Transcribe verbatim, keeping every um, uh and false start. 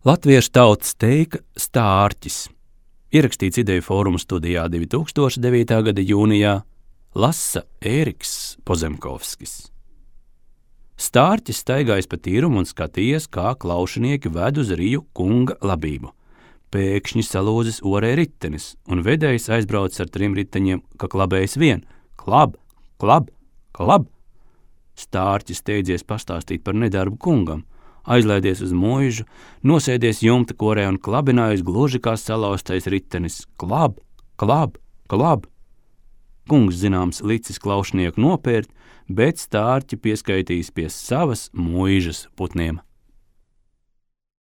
Latviešu tautas teika stārķis. Ierakstīts Ideju fóruma studijā divi tūkstoši devītā gada jūnijā, lasa Ēriks Pozemkovskis. Stārķis staigājis pa tīrumu un skatījies, kā klaušinieki ved uz Riju kunga labību. Pēkšņi salūzis orē ritenis, un vedējs aizbraucis ar trim riteņiem, ka klabējis vien. Klab, klab, klab! Stārķis steidzies pastāstīt par nedarbu kungam, aizlaidies uz mūžu, nosēdies jumta korē un klabinājis gluži kā salauztais ritenis. Klab, klab, klab! Kungs, zināms, licis klaušnieku nopērt, bet stārķi pieskaitījis pie savas mūžas putniem.